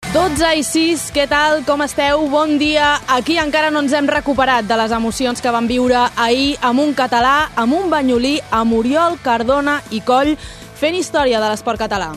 12:06, què tal? Com esteu? Bon dia. Aquí encara no ens hem recuperat de les emocions que vam viure ahir amb un català, amb un banyolí, amb Oriol Cardona i Coll, fent història de l'esport català.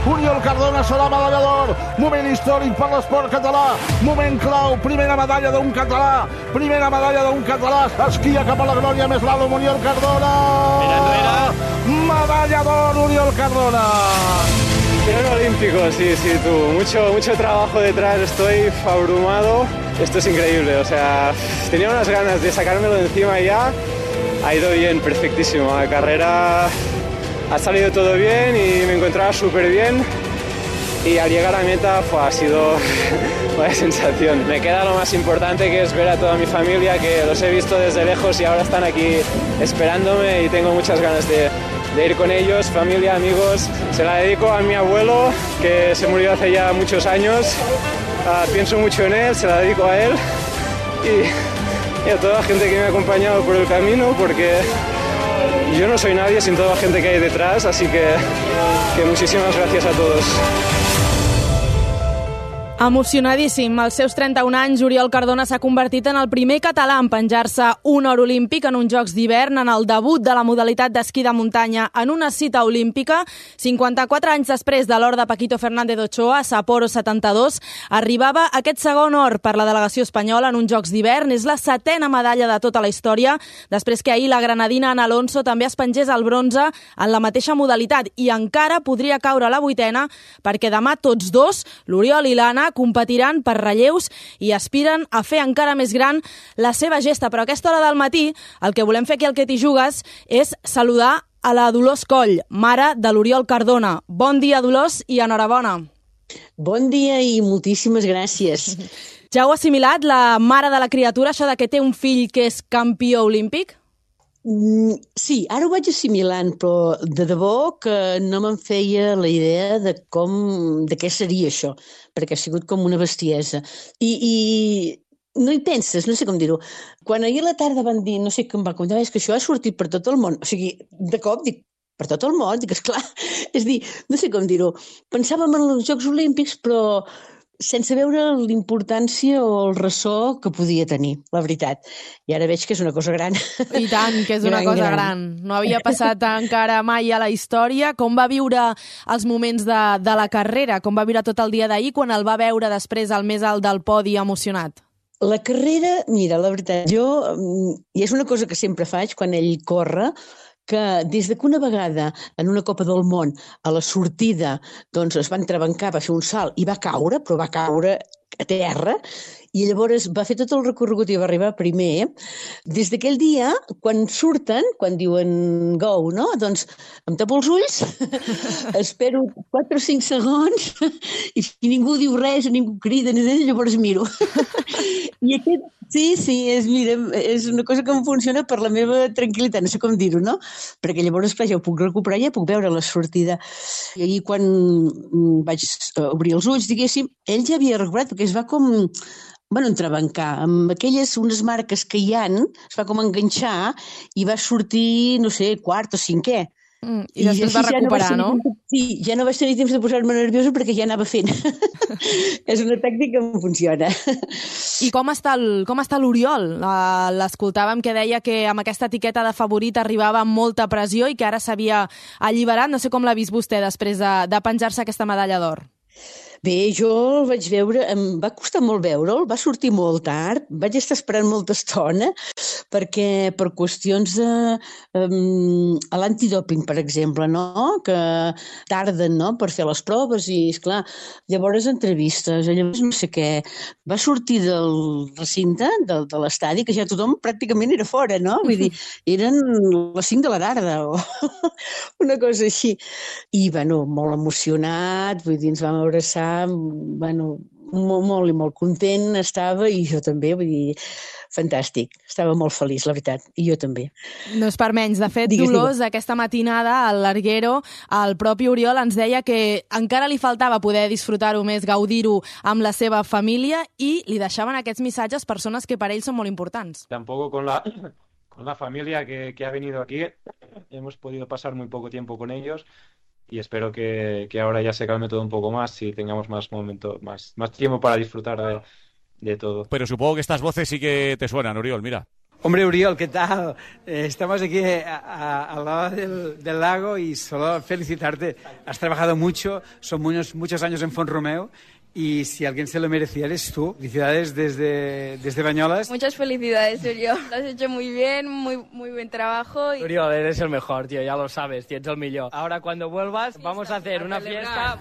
Oriol Cardona serà medallador, moment històric per l'esport català, moment clau, primera medalla d'un català, esquia cap a la glòria més l'alt amb Oriol Cardona. Mira enrere. Medalla d'or, Oriol Cardona. Oro olímpico, sí, tú. Mucho trabajo detrás, estoy abrumado. Esto es increíble, o sea, tenía unas ganas de sacármelo de encima ya. Ha ido bien, perfectísimo. La carrera ha salido todo bien y me encontraba súper bien. Y al llegar a meta ha sido una sensación. Me queda lo más importante, que es ver a toda mi familia, que los he visto desde lejos y ahora están aquí esperándome y tengo muchas ganas de ir con ellos, familia, amigos. Se la dedico a mi abuelo, que se murió hace ya muchos años. Pienso mucho en él, se la dedico a él y a toda la gente que me ha acompañado por el camino, porque yo no soy nadie sin toda la gente que hay detrás, así que muchísimas gracias a todos. Emocionadíssim. Als seus 31 anys, Oriol Cardona s'ha convertit en el primer català en penjar-se un or olímpic en uns Jocs d'hivern, en el debut de la modalitat d'esquí de muntanya en una cita olímpica. 54 anys després de l'or de Paquito Fernández Ochoa, Sapporo 72, arribava aquest segon or per la delegació espanyola en uns Jocs d'hivern. És la 7a medalla de tota la història, després que ahir la granadina Ana Alonso també es pengés el bronze en la mateixa modalitat, i encara podria caure la 8a, perquè demà tots dos, l'Oriol i l'Anna, competiran per relleus i aspiren a fer encara més gran la seva gesta. Però a aquesta hora del matí el que volem fer aquí al Que t'hi jugues és saludar a la Dolors Coll, mare de l'Oriol Cardona. Bon dia, Dolors, i enhorabona. Bon dia i moltíssimes gràcies. Ja heu assimilat, la mare de la criatura, això de que té un fill que és campió olímpic? Sí, ara ho vaig assimilant, però de debò que no me'n feia la idea de què seria això, perquè ha sigut com una bestiesa. I no hi penses, no sé com dir-ho. Quan ahir a la tarda van dir, no sé com va comentar, és que això ha sortit per tot el món. O sigui, de cop dic, per tot el món? Dic, esclar, és dir, no sé com dir-ho. Pensàvem en els Jocs Olímpics, però sense veure l'importància o el ressò que podia tenir, la veritat. I ara veig que és una cosa gran. I tant, que és una cosa gran. No havia passat encara mai a la història. Com va viure els moments de la carrera? Com va viure tot el dia d'ahir quan el va veure després al més alt del podi emocionat? La carrera, mira, la veritat, i és una cosa que sempre faig quan ell corre, que des que una vegada en una Copa del Món a la sortida doncs es va entrebancar, va fer un salt i va caure, però va caure a terra, i llavors va fer tot el recorregut i va arribar primer. Des d'aquell dia, quan surten, quan diuen go, no? Doncs em tapo els ulls, espero 4 o 5 segons i si ningú diu res, ningú crida, llavors miro. I aquest, sí, és una cosa que em funciona per la meva tranquil·litat, no sé com dir-ho, no? Perquè llavors, clar, ja ho puc recuperar, ja puc veure la sortida. I ahir, quan vaig obrir els ulls, diguéssim, ell ja havia recuperat, perquè es va com entrebancar. Amb unes marques que hi ha, es va com enganxar i va sortir, no sé, quart o cinquè. I després va recuperar, no? Sí, ja no vaig tenir temps de posar-me nerviosa perquè ja anava fent. És una tècnica que em funciona. I com està l'Oriol? L'escoltàvem que deia que amb aquesta etiqueta de favorit arribava amb molta pressió i que ara s'havia alliberat. No sé com l'ha vist vostè després de penjar-se aquesta medalla d'or. Bé, jo el vaig veure, em va costar molt veure'l, va sortir molt tard, vaig estar esperant molta estona, perquè per qüestions a l'antidòping, per exemple, no? Que tarden, no?, per fer les proves i, esclar, llavors entrevistes, llavors no sé què, va sortir del recinte, de l'estadi, que ja tothom pràcticament era fora, no? Vull dir, eren les 5 de la tarda o una cosa així. I, bueno, molt emocionat, vull dir, ens vam abraçar, bueno, molt i molt content estava, i jo també, vull dir, fantàstic. Estava molt feliç, la veritat, i jo també. No és per menys. De fet, Dolors, aquesta matinada al Larguero, el propi Oriol ens deia que encara li faltava poder disfrutar-ho més, gaudir-ho amb la seva família, i li deixaven aquests missatges persones que per ell són molt importants. Tampoco con la familia que ha venido aquí hemos podido pasar muy poco tiempo con ellos, y espero que ahora ya se calme todo un poco más y tengamos más momento, más tiempo para disfrutar de todo. Pero supongo que estas voces sí que te suenan, Oriol, mira. Hombre, Uriol, ¿qué tal? Estamos aquí al lado del lago y solo felicitarte. Has trabajado mucho, son muchos años en Font-Romeu y si alguien se lo merecía eres tú. Felicidades desde Bañolas. Muchas felicidades, Uriol. Lo has hecho muy bien, muy buen trabajo. Uriol, eres el mejor, tío, ya lo sabes, tío, eres el millor. Ahora cuando vuelvas vamos a hacer una fiesta,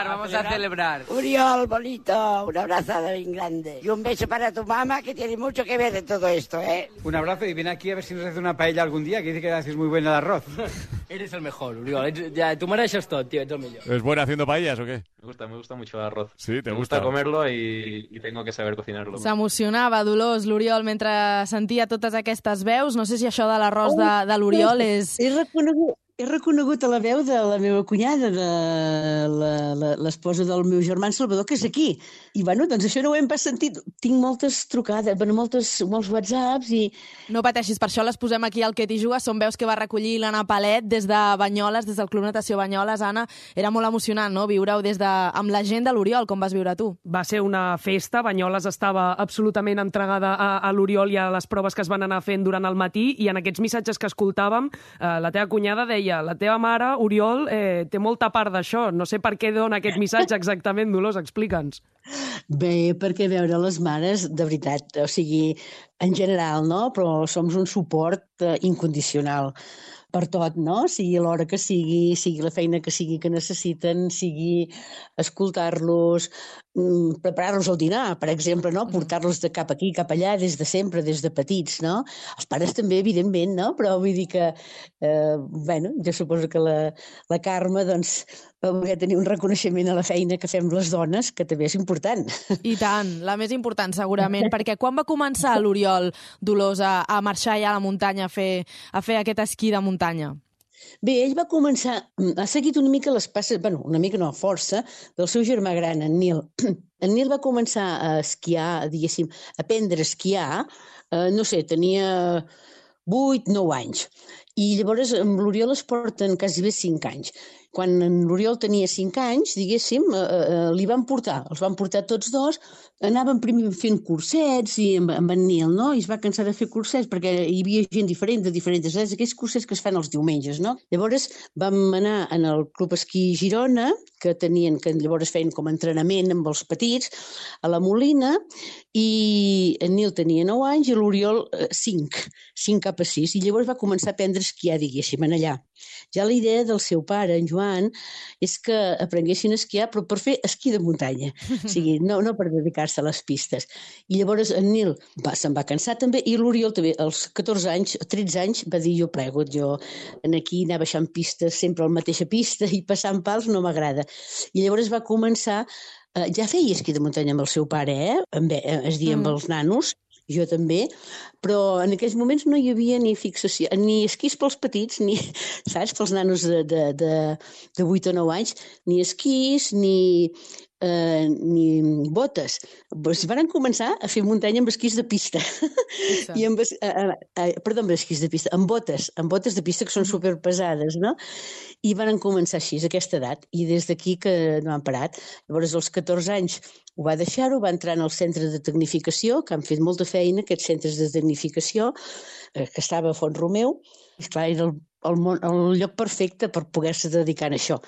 vamos a celebrar. Uriol, bonito, una abrazada bien grande y un beso para tu mamá que tiene mucho que ver en todo esto, ¿eh? Un abrazo y ven aquí a ver si nos hace una paella algún día, que dice que haces muy buen el arroz. Eres el mejor, Uriol, ja, tu mereixes tot, tio, ets el millor. ¿Es buena haciendo paellas o qué? Me gusta mucho el arroz. Sí, te me gusta comerlo y tengo que saber cocinarlo. S'emocionava, Dolors, l'Oriol, mentre sentia totes aquestes veus. No sé si això de l'arròs de l'Oriol és... He reconegut a la veu de la meva cunyada, de l'esposa del meu germà Salvador, que és aquí. I, bueno, doncs això no ho hem pas sentit. Tinc moltes trucades, molts whatsapps i... No pateixis, per això les posem aquí al Que t'hi juga. Són veus que va recollir l'Anna Palet des de Banyoles, des del Club Natació Banyoles. Anna, era molt emocionant, no?, viure-ho amb la gent de l'Oriol. Com vas viure tu? Va ser una festa. Banyoles estava absolutament entregada a l'Oriol i a les proves que es van anar fent durant el matí, i en aquests missatges que escoltàvem, la teva cunyada deia: la teva mare, Oriol, té molta part d'això. No sé per què dona aquest missatge exactament, Dolors, explica'ns. Bé, perquè veure les mares, de veritat, o sigui, en general, no?, però som un suport incondicional per tot, no? Sigui l'hora que sigui la feina que sigui que necessiten, sigui escoltar-los, preparar-los el dinar, per exemple, no? Portar-los de cap aquí, cap allà, des de sempre, des de petits, no? Els pares també, evidentment, no? Però vull dir que, bueno, jo suposo que la Carme, doncs, va voler tenir un reconeixement a la feina que fem les dones, que també és important. I tant, la més important, segurament, perquè quan va començar l'Oriol, Dolors, a marxar ja a la muntanya, a fer aquest esquí de muntanya? Bé, ell va començar, ha seguit una mica les passes, bueno, una mica no, força, del seu germà gran, en Nil. En Nil va començar a esquiar, diguéssim, a aprendre a esquiar, no sé, tenia 8-9 anys. I llavors amb l'Oriol es porten quasi bé 5 anys. Quan l'Oriol tenia 5 anys, diguéssim, els van portar tots dos, anaven primer fent cursets i amb en Nil, no? I es va cansar de fer cursets perquè hi havia gent diferent, de diferents edats, aquells cursets que es fan els diumenges, no? Llavors vam anar en el Club Esquí Girona, que llavors feien com a entrenament amb els petits, a la Molina, i en Nil tenia 9 anys i l'Oriol 5 cap a 6, i llavors va començar a aprendre a esquiar, diguéssim, en allà. Ja la idea del seu pare, en Joan, és que aprenguessin a esquiar, però per fer esquí de muntanya, o sigui, no per dedicar-se a les pistes. I llavors en Nil se'n va cansar també, i l'Oriol també, als 14 anys, 13 anys, va dir: jo aquí anar baixant pistes, sempre a la mateixa pista, i passant pals no m'agrada. I llavors va començar, ja feia esquí de muntanya amb el seu pare, es deia amb els nanos, jo també, però en aquells moments no hi havia ni fixació, ni esquís pels petits, ni, saps, pels nanos de 8 o 9 anys, ni esquís, ni botes. Es van començar a fer muntanya amb esquís de pista. Amb esquís de pista, amb botes de pista que són superpesades, no? I van començar així, a aquesta edat, i des d'aquí que no han parat. Llavors, als 14 anys ho va deixar-ho, va entrar en el centre de tecnificació, que han fet molta feina, aquests centres de tecnificació, que estava a Font-Romeu. Esclar, era el lloc perfecte per poder-se dedicar a això.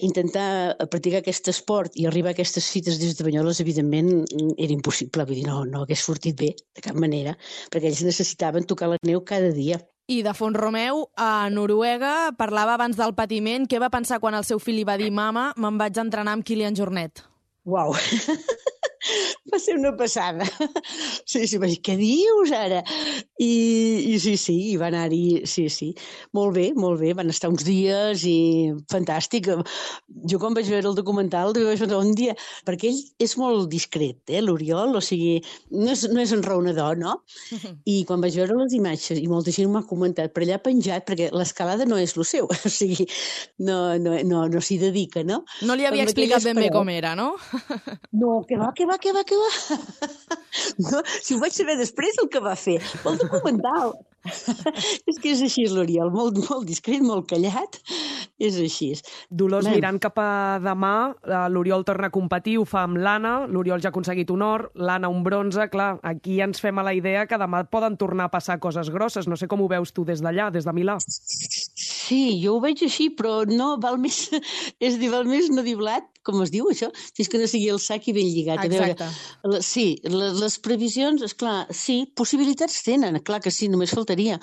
Intentar practicar aquest esport i arribar a aquestes fites des de Banyoles, evidentment, era impossible. Vull dir, no hagués sortit bé, de cap manera, perquè ells necessitaven tocar la neu cada dia. I de Font-Romeu a Noruega, parlava abans del patiment. Què va pensar quan el seu fill li va dir: mama, me'n vaig entrenar amb Kilian Jornet? Uau! Va ser una passada. Sí, va dir: què dius ara? I sí, i va anar-hi, sí. Molt bé, van estar uns dies i fantàstic. Jo quan vaig veure el documental, vaig veure un dia, perquè ell és molt discret, l'Oriol, o sigui, no és enraonador, no? I quan vaig veure les imatges, i molta gent m'ha comentat, per allà penjat, perquè l'escalada no és el seu, o sigui, no s'hi dedica, no? No li havia explicat ben bé com era, no? No, que va. No, si ho vaig saber després el que va fer, el documental. És que és així l'Oriol, molt discret, molt callat, És així. Dolors, mirant cap a demà, l'Oriol torna a competir, ho fa amb l'Anna, l'Oriol ja ha aconseguit un or, l'Anna un bronze, clar, aquí ens fem a la idea que demà poden tornar a passar coses grosses. No sé com ho veus tu des d'allà, des de Milà. Sí, jo ho veig així, però no, val més, és dir, val més no dir blat, com es diu això, si és que no sigui el sac i ben lligat. Exacte. Sí, les previsions, esclar, sí, possibilitats tenen, clar que sí, només faltaria.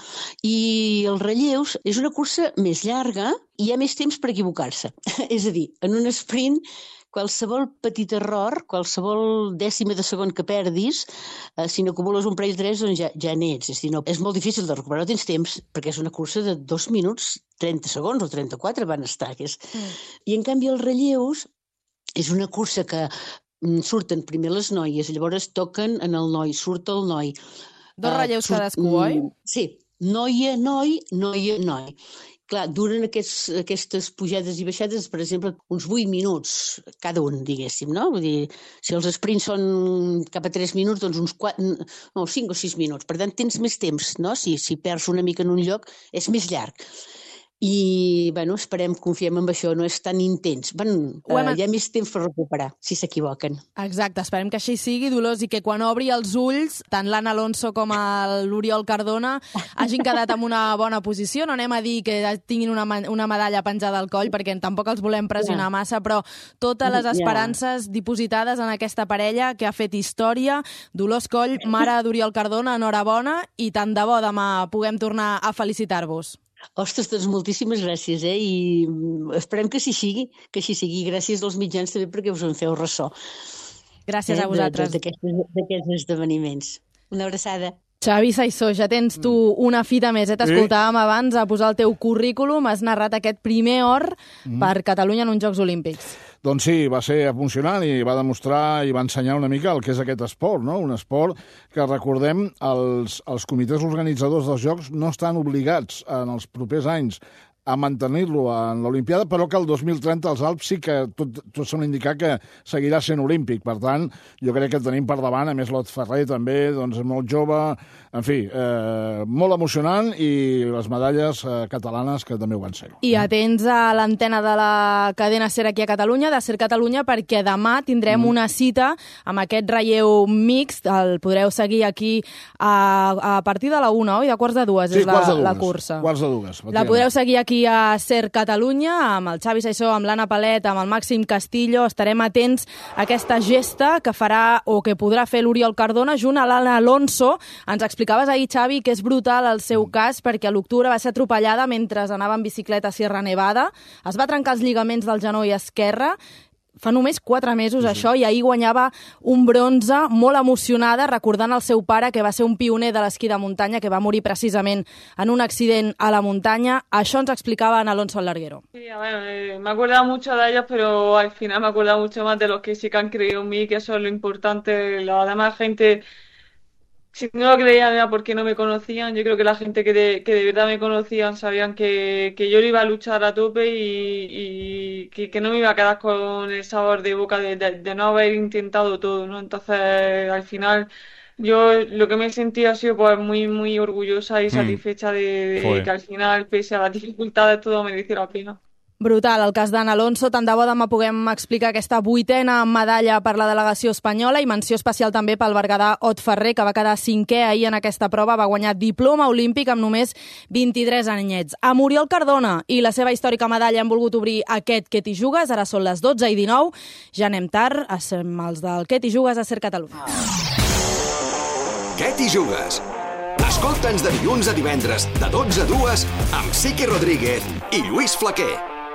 I els relleus és una cursa més llarga i hi ha més temps per equivocar-se. És a dir, en un sprint, qualsevol petit error, qualsevol dècima de segon que perdis, si n'acumules un parell de 3, doncs ja n'ets. És a dir, no, és molt difícil de recuperar, no tens temps, perquè és una cursa de 2 minuts, 30 segons o 34 van estar. I en canvi els relleus és una cursa que surten primer les noies, llavors toquen en el noi, surt el noi. 2 relleus cadascú, oi? Sí, noia, noi, noia, noi. Clar, duren aquestes pujades i baixades, per exemple, uns 8 minuts cada un, diguéssim, no? Vull dir, si els sprints són cap a 3 minuts, doncs uns 5 o 6 minuts. Per tant, tens més temps, no? Si perds una mica en un lloc, és més llarg. I, bueno, confiem en això, no és tan intens. Hi ha més temps per recuperar, si s'equivoquen. Exacte, esperem que així sigui, Dolors, i que quan obri els ulls, tant l'Anna Alonso com l'Oriol Cardona hagin quedat en una bona posició. No anem a dir que tinguin una medalla penjada al coll, perquè tampoc els volem pressionar massa, però totes les esperances dipositades en aquesta parella que ha fet història. Dolors Coll, mare d'Oriol Cardona, enhorabona, i tant de bo demà puguem tornar a felicitar-vos. Ostres, doncs moltíssimes gràcies, i esperem que així sigui. Gràcies als mitjans també perquè us en feu ressò. Gràcies a vosaltres. D'aquests esdeveniments. Una abraçada. Xavi Saissó, ja tens tu una fita més. T'escoltàvem abans a posar el teu currículum, has narrat aquest primer or per Catalunya en uns Jocs Olímpics. Doncs sí, va ser emocionant i va demostrar i va ensenyar una mica el que és aquest esport, no? Un esport que, recordem, els comitès organitzadors dels Jocs no estan obligats en els propers anys a mantenir-lo en l'Olimpiada, però que el 2030 els Alps sí que tot sembla indicar que seguirà sent olímpic. Per tant, jo crec que tenim per davant, a més l'Ot Ferrer també, doncs molt jove, en fi, molt emocionant, i les medalles catalanes que també ho van ser. I atents a l'antena de la cadena SER aquí a Catalunya, de SER Catalunya, perquè demà tindrem una cita amb aquest relleu mixt, el podreu seguir aquí a partir de la 1, oi? De 1:45 és la cursa. 1:45. La podreu seguir aquí a SER Catalunya, amb el Xavi Saissó, amb l'Anna Palet, amb el Màxim Castillo. Estarem atents a aquesta gesta que farà o que podrà fer l'Oriol Cardona junt a l'Anna Alonso. Ens explicaves ahir, Xavi, que és brutal el seu cas, perquè a l'octubre va ser atropellada mentre anava en bicicleta a Sierra Nevada. Es va trencar els lligaments del genoll esquerre. Fa només 4 mesos, això, i ahir guanyava un bronze, molt emocionada, recordant el seu pare, que va ser un pioner de l'esquí de muntanya, que va morir precisament en un accident a la muntanya. Això ens explicava en Alonso al larguero. Sí, me he acordado mucho de ellos, pero al final me he acordado mucho más de los que sí que han creído en mí, que eso es lo importante. La demás gente, si no lo creían era porque no me conocían. Yo creo que la gente que de verdad me conocían sabían que yo lo iba a luchar a tope y que no me iba a quedar con el sabor de boca de no haber intentado todo, ¿no? Entonces, al final, yo lo que me he sentido ha sido pues muy, muy orgullosa y satisfecha de que al final, pese a las dificultades, todo mereció la pena. Brutal, el cas d'Anna Alonso. Tant de bo demà puguem explicar aquesta 8a medalla per la delegació espanyola, i menció especial també pel berguedà Ot Ferrer, que va quedar 5è ahir en aquesta prova, va guanyar diploma olímpic amb només 23 anyets. Amb Oriol Cardona i la seva històrica medalla hem volgut obrir aquest Què t'hi jugues. Ara són les 12:19. Ja anem tard, som els del Què t'hi jugues a SER Catalunya. Què t'hi jugues? Escolta'ns de dilluns a divendres, de 12 a 2, amb Sique Rodríguez i Lluís Flaquer.